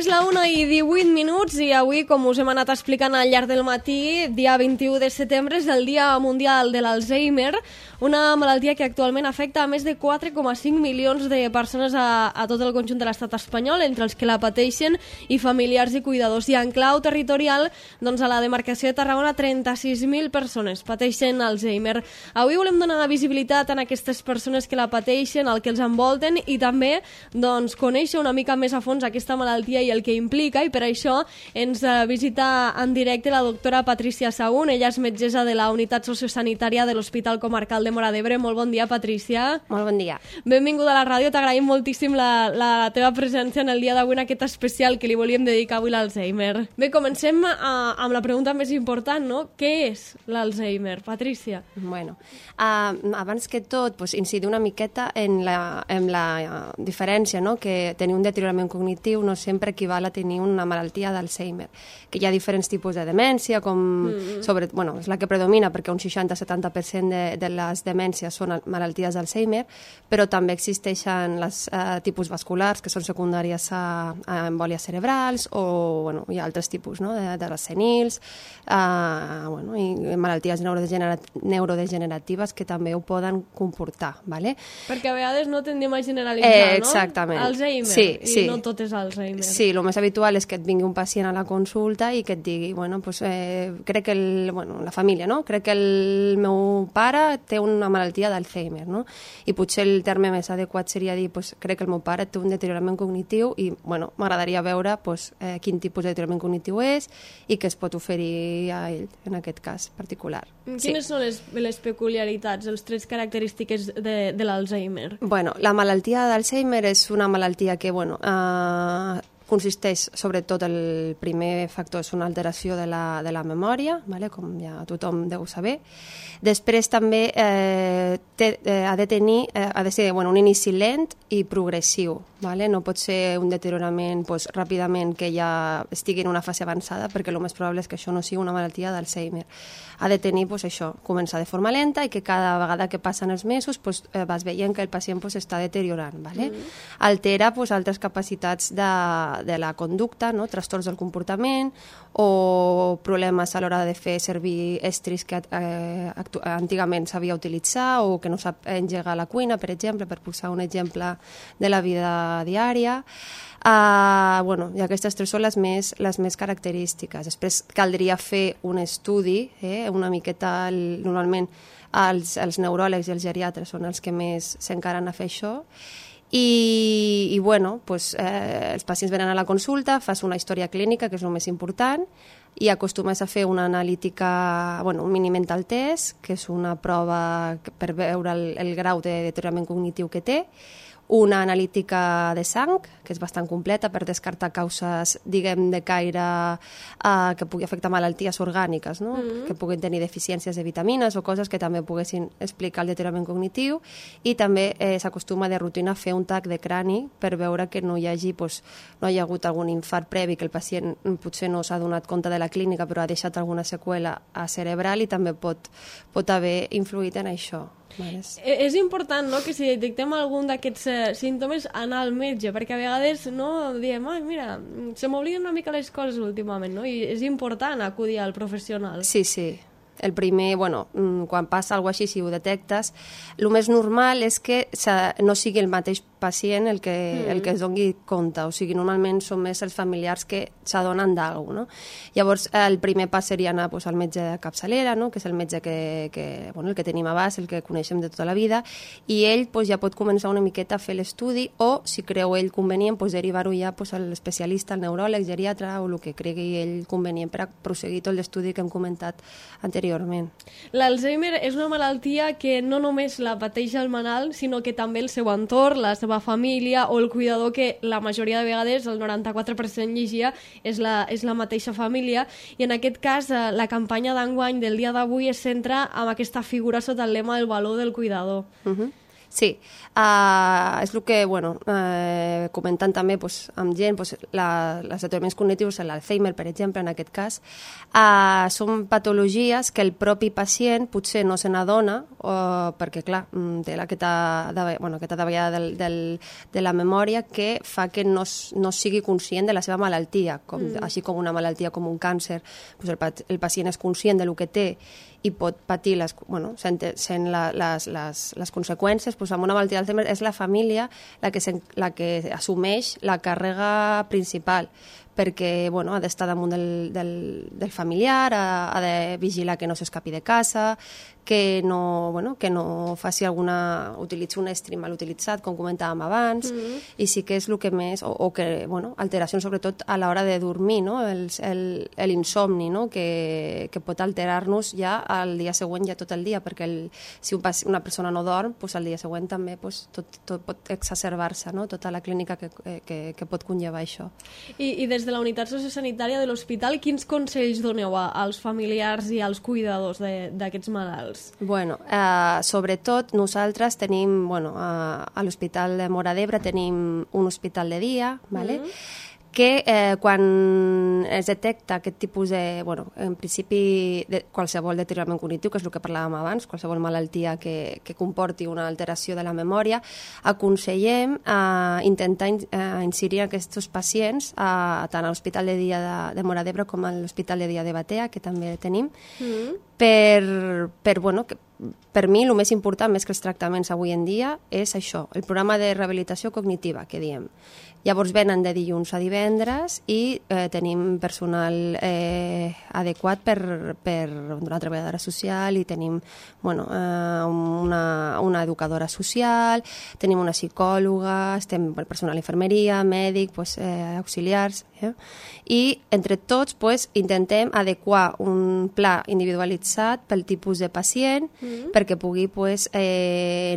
És la 1:18 i avui, com us hem anat explicant al llarg del matí, dia 21 de setembre és el Dia Mundial de l'Alzheimer, una malaltia que actualment afecta a més de 4,5 milions de persones a tot el conjunt de l'estat espanyol, entre els que la pateixen i familiars i cuidadors. I en clau territorial, doncs a la demarcació de Tarragona, 36.000 persones pateixen Alzheimer. Avui volem donar visibilitat a aquestes persones que la pateixen, al que els envolten i també doncs, conèixer una mica més a fons aquesta malaltia i el que implica, i per això ens visita en directe la doctora Patrícia Sahún. Ella és metgessa de la unitat sociosanitària de l'Hospital Comarcal de Móra d'Ebre. Molt bon dia, Patrícia. Molt bon dia. Benvinguda a la ràdio, t'agraïm moltíssim la teva presència en el dia d'avui, en aquest especial que li volíem dedicar avui a l'Alzheimer. Bé, comencem amb la pregunta més important, no? Què és l'Alzheimer, Patrícia? Bueno, abans que tot, pues, incidir una miqueta en la diferència, no? Que tenir un deteriorament cognitiu no sempre equival a tenir una malaltia d'Alzheimer, que hi ha diferents tipus de demència, és la que predomina perquè un 60-70% de les demències són malalties d'Alzheimer, però també existeixen les tipus vasculars, que són secundàries a embòlies cerebrals, o hi ha altres tipus, no? de les senils, i malalties neurodegeneratives que també ho poden comportar. ¿Vale? Perquè a vegades no tendem a generalitzar, exactament. No? Alzheimer, sí. I no tot és Alzheimer. Sí, el més habitual és que et vingui un pacient a la consulta i que et digui, crec que la família, no? Crec que el meu pare té una malaltia d'Alzheimer, no? I potser el terme més adequat seria dir, crec que el meu pare té un deteriorament cognitiu i, m'agradaria veure quin tipus de deteriorament cognitiu és i què es pot oferir a ell, en aquest cas particular. Quines són les peculiaritats, els trets característiques de l'Alzheimer? La malaltia d'Alzheimer és una malaltia que, consisteix, sobretot, el primer factor és una alteració de la memòria, com ja tothom deu saber. Després també ha de ser un inici lent i progressiu. No pot ser un deteriorament ràpidament que ja estigui en una fase avançada, perquè el més probable és que això no sigui una malaltia d'Alzheimer. Ha de tenir començar de forma lenta i que cada vegada que passen els mesos vas veient que el pacient està deteriorant. Altera altres capacitats de la conducta, no? Trastorns del comportament o problemes a l'hora de fer servir estris que antigament sabia utilitzar o que no sap engegar a la cuina, per exemple, per posar un exemple de la vida diària. I aquestes tres són les més característiques. Després caldria fer un estudi, una miqueta, normalment els neuròlegs i els geriatres són els que més s'encaren a fer això. Els pacients venen a la consulta, fas una història clínica, que és el més important, i acostumes a fer una analítica, un mini mental test, que és una prova per veure el grau de deteriorament cognitiu que té, una analítica de sang, que és bastant completa per descartar causes, diguem, de caire que pugui afectar malalties orgàniques, no? Que puguin tenir deficiències de vitamines o coses que també poguessin explicar el deteriorament cognitiu, i també s'acostuma de rutina a fer un TAC de crani per veure que no hi hagi hagut algun infart previ, que el pacient potser no s'ha donat compte de la clínica però ha deixat alguna seqüela cerebral i també pot haver influït en això. És important, no?, que si detectem algun d'aquests símptomes anar al metge, perquè a vegades diem, mira, se m'obliden una mica les coses últimament, no? I és important acudir al professional. Sí. El primer, quan passa alguna cosa així, si ho detectes, el més normal és que no sigui el mateix pacient el que es doni compte, o sigui, normalment són més els familiars que s'adonen d'alguna cosa, no? Llavors, el primer pas seria anar al metge de capçalera, no? Que és el metge el que tenim a base, el que coneixem de tota la vida, i ell ja pot començar una miqueta a fer l'estudi, o, si creu ell convenient, derivar-ho ja a l'especialista, al neuròleg, geriatre, o el que cregui ell convenient per a proseguir tot l'estudi que hem comentat anteriorment. L'Alzheimer és una malaltia que no només la pateix el malalt, sinó que també el seu entorn, la seva família o el cuidador, que la majoria de vegades, el 94% llegia, és la mateixa família, i en aquest cas la campanya d'enguany del dia d'avui es centra en aquesta figura sota el lema del valor del cuidador. Sí, és el que, comentant també amb gent, els deterioraments cognitius, l'Alzheimer, per exemple, en aquest cas, són patologies que el propi pacient potser no se n'adona, perquè, clar, té aquesta davallada de la memòria que fa que no sigui conscient de la seva malaltia, així com una malaltia com un càncer. El pacient és conscient del que té i pot patir sent les conseqüències. Amb una malaltia d'Alzheimer és la família la que assumeix la càrrega principal, perquè ha d'estar damunt del familiar, ha de vigilar que no s'escapi de casa, que no faci utilitzi un estri mal utilitzat, com comentàvem abans, i sí que és el que més, o que, alteracions sobretot a l'hora de dormir, no? L'insomni, no? Que pot alterar-nos ja al dia següent, ja tot el dia, perquè si una persona no dorm, al dia següent també tot pot exacerbar-se, no? Tota la clínica que pot conllevar això. I des de la unitat sociosanitària de l'hospital, quins consells doneu als familiars i als cuidadors d'aquests malalts? Sobretot nosaltres tenim, a l'Hospital de Móra d'Ebre tenim un hospital de dia, que quan es detecta aquest tipus en principi, qualsevol deteriorament cognitiu, que és el que parlàvem abans, qualsevol malaltia que comporti una alteració de la memòria, aconsellem intentar incidir aquests pacients tant a l'Hospital de Dia de Móra d'Ebre com a l'Hospital de Dia de Batea, que també tenim, per mi el més important, més que els tractaments avui en dia, és això, el programa de rehabilitació cognitiva, que diem. Llavors venen de dilluns a divendres i tenim personal adequat per una treballadora social i tenim una educadora social, tenim una psicòloga, estem personal d'infermeria, mèdic, auxiliars, i entre tots intentem adequar un pla individualitzat pel tipus de pacient perquè pugui,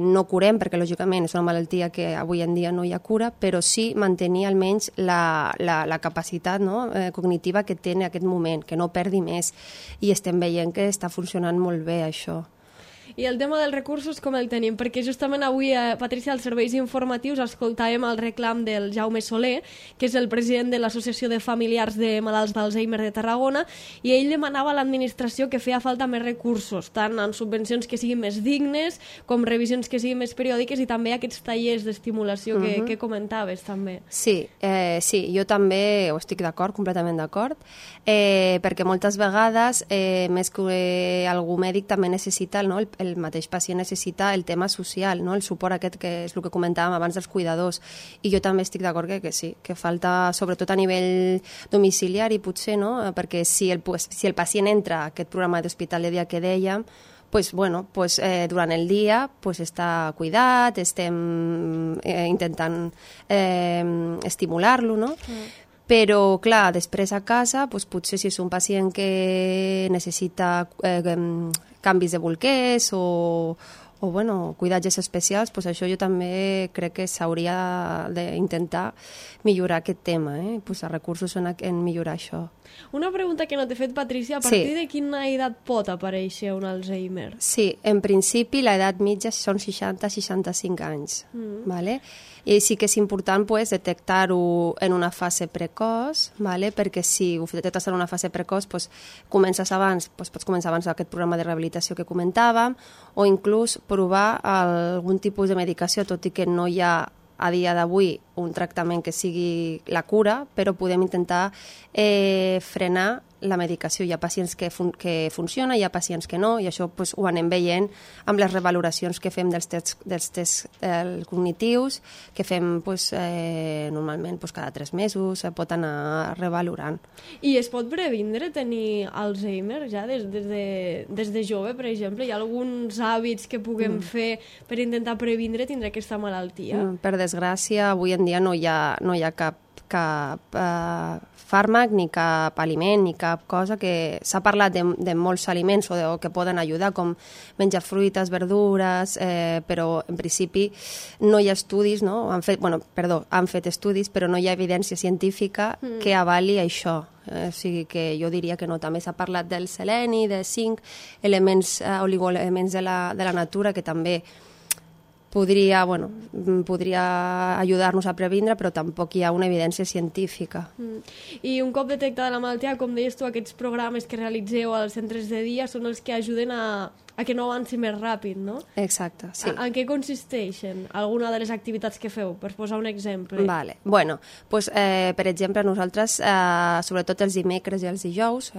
no curem, perquè lògicament és una malaltia que avui en dia no hi ha cura, però sí mantenir almenys la capacitat cognitiva que té en aquest moment, que no perdi més, i estem veient que està funcionant molt bé això. I el tema dels recursos com el tenim? Perquè justament avui, Patrícia, als serveis informatius escoltàvem el reclam del Jaume Soler, que és el president de l'Associació de Familiars de Malalts d'Alzheimer de Tarragona, i ell demanava a l'administració que feia falta més recursos, tant en subvencions que siguin més dignes, com revisions que siguin més periòdiques, i també aquests tallers d'estimulació que comentaves també. Sí, jo també ho estic d'acord, completament d'acord, perquè moltes vegades, més que algú mèdic, també necessita, el mateix pacient necessita el tema social, el suport aquest que és el que comentàvem abans dels cuidadors, i jo també estic d'acord que sí, que falta sobretot a nivell domiciliari potser, perquè si el pacient entra a aquest programa d'hospital de dia que dèiem, durant el dia està cuidat, estem intentant estimular-lo, no? Però, clar, després a casa, potser si és un pacient que necessita canvis de bolquers o cuidatges especials, això jo també crec que s'hauria d'intentar millorar aquest tema, posar recursos en millorar això. Una pregunta que no t'he fet, Patrícia, a partir de quina edat pot aparèixer un Alzheimer? Sí, en principi l'edat mitja són 60-65 anys, ¿vale? I sí que és important detectar-ho en una fase precoç, perquè si ho detectes en una fase precoç, comences abans, pots començar abans aquest programa de rehabilitació que comentàvem, o inclús provar algun tipus de medicació, tot i que no hi ha a dia d'avui un tractament que sigui la cura, però podem intentar frenar la medicació. Hi ha pacients que funciona, hi ha pacients que no, i això ho anem veient amb les revaloracions que fem dels tests cognitius, que fem normalment cada 3 mesos, pot anar revalorant. I es pot previndre tenir Alzheimer ja des de jove, per exemple? Hi ha alguns hàbits que puguem fer per intentar previndre tindre aquesta malaltia? Per desgràcia, avui en dia no hi ha cap fàrmac, ni cap aliment, ni cap cosa que... S'ha parlat de molts aliments que poden ajudar, com menjar fruites, verdures, però en principi no hi ha estudis, no? Han fet estudis, però no hi ha evidència científica que avali això. O sigui que jo diria que no. També s'ha parlat del seleni, de zinc, oligoelements de la natura que també podria ajudar-nos a previndre, però tampoc hi ha una evidència científica. I un cop detectada la malaltia, com deies tu, aquests programes que realitzeu als centres de dia són els que ajuden a que no avanci més ràpid, no? Exacte, sí. En què consisteixen alguna de les activitats que feu, per posar un exemple? Vale. Bueno, pues, per exemple, nosaltres, sobretot els dimecres i els dijous,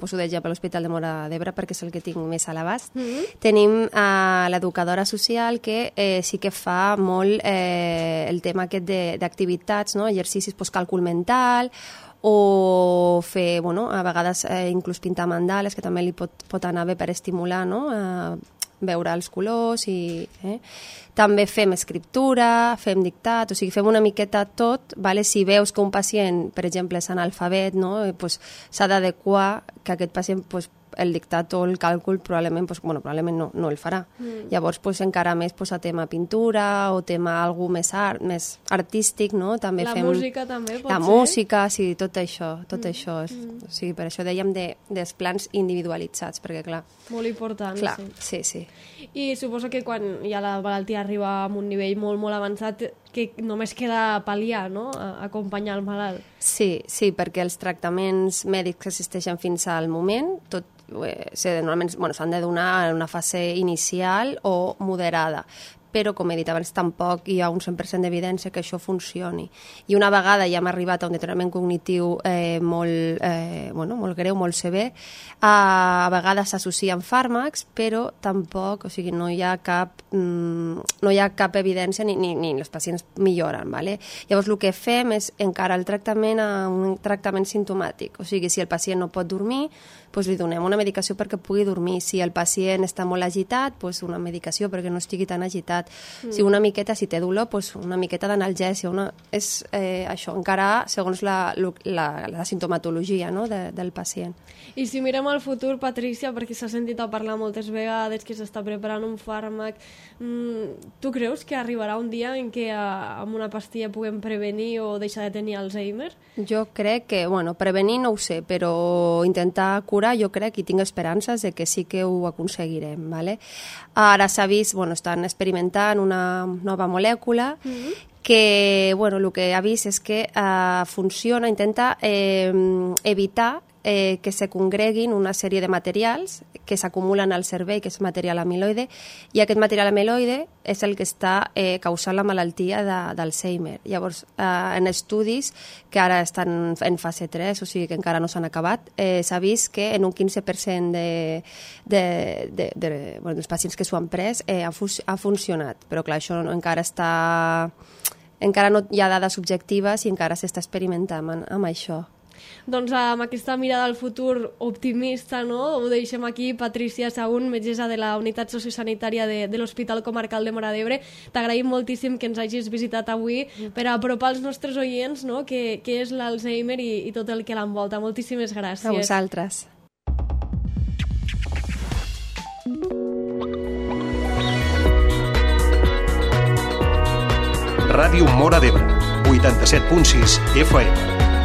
poso d'exemple l'Hospital de Móra d'Ebre perquè és el que tinc més a l'abast, tenim l'educadora social que sí que fa molt el tema aquest d'activitats, no? Exercicis, pues, càlcul mental, o fer, a vegades inclús pintar mandales, que també li pot anar bé per estimular, no? Veure els colors i... També fem escriptura, fem dictat, o sigui, fem una miqueta tot, vale? Si veus que un pacient, per exemple, és analfabet, no? Pues, s'ha d'adequar que aquest pacient el dictat o el càlcul probablement no el farà. Llavors, encara més a tema pintura o tema algú més artístic, no? També la fem... música també pot ser? La música, sí, tot això. O sigui, per això dèiem dels plans individualitzats, perquè clar... Molt important, clar, sí. I suposo que quan ja la malaltia arriba a un nivell molt, molt avançat, que només queda pal·liar, no? Acompanyar el malalt. Sí, perquè els tractaments mèdics que existeixen fins al moment, normalment s'han de donar en una fase inicial o moderada, però, com he dit abans, tampoc hi ha un 100% d'evidència que això funcioni. I una vegada ja hem arribat a un deteriorament cognitiu molt greu, molt sever, a vegades s'associen fàrmacs, però tampoc, o sigui, no hi ha cap evidència ni els pacients milloren. Vale? Llavors, el que fem és encarar el tractament a un tractament simptomàtic. O sigui, si el pacient no pot dormir, li donem una medicació perquè pugui dormir. Si el pacient està molt agitat, una medicació perquè no estigui tan agitat. Si una miqueta, si té dolor, una miqueta d'analgèsia. És això, encarar segons la sintomatologia, no? del pacient. I si mirem al futur, Patrícia, perquè s'ha sentit a parlar moltes vegades que s'està preparant un fàrmac, tu creus que arribarà un dia en què amb una pastilla puguem prevenir o deixar de tenir Alzheimer? Jo crec que, prevenir no ho sé, però intentar curar jo crec i tinc esperances de que sí que ho aconseguirem. Vale? Ara s'ha vist, estan experimentant una nova molècula que el que ha vist és que funciona, intenta evitar que se congreguin una sèrie de materials que s'acumulen al cervell, que és material amiloide, i aquest material amiloide és el que està causant la malaltia d'Alzheimer. Llavors, en estudis que ara estan en fase 3, o sigui que encara no s'han acabat, s'ha vist que en un 15% dels pacients que s'ho han pres ha funcionat. Però clar, això encara no hi ha dades objectives i encara s'està experimentant amb això. Doncs amb aquesta mirada al futur optimista, no? Ho deixem aquí. Patrícia Sahún, metgessa de la Unitat Sociosanitària de l'Hospital Comarcal de Móra d'Ebre. T'agraïm moltíssim que ens hagis visitat avui per apropar als nostres oients, no? Què és l'Alzheimer i tot el que l'envolta. Moltíssimes gràcies. A vosaltres. Ràdio Móra d'Ebre, 87.6 FM.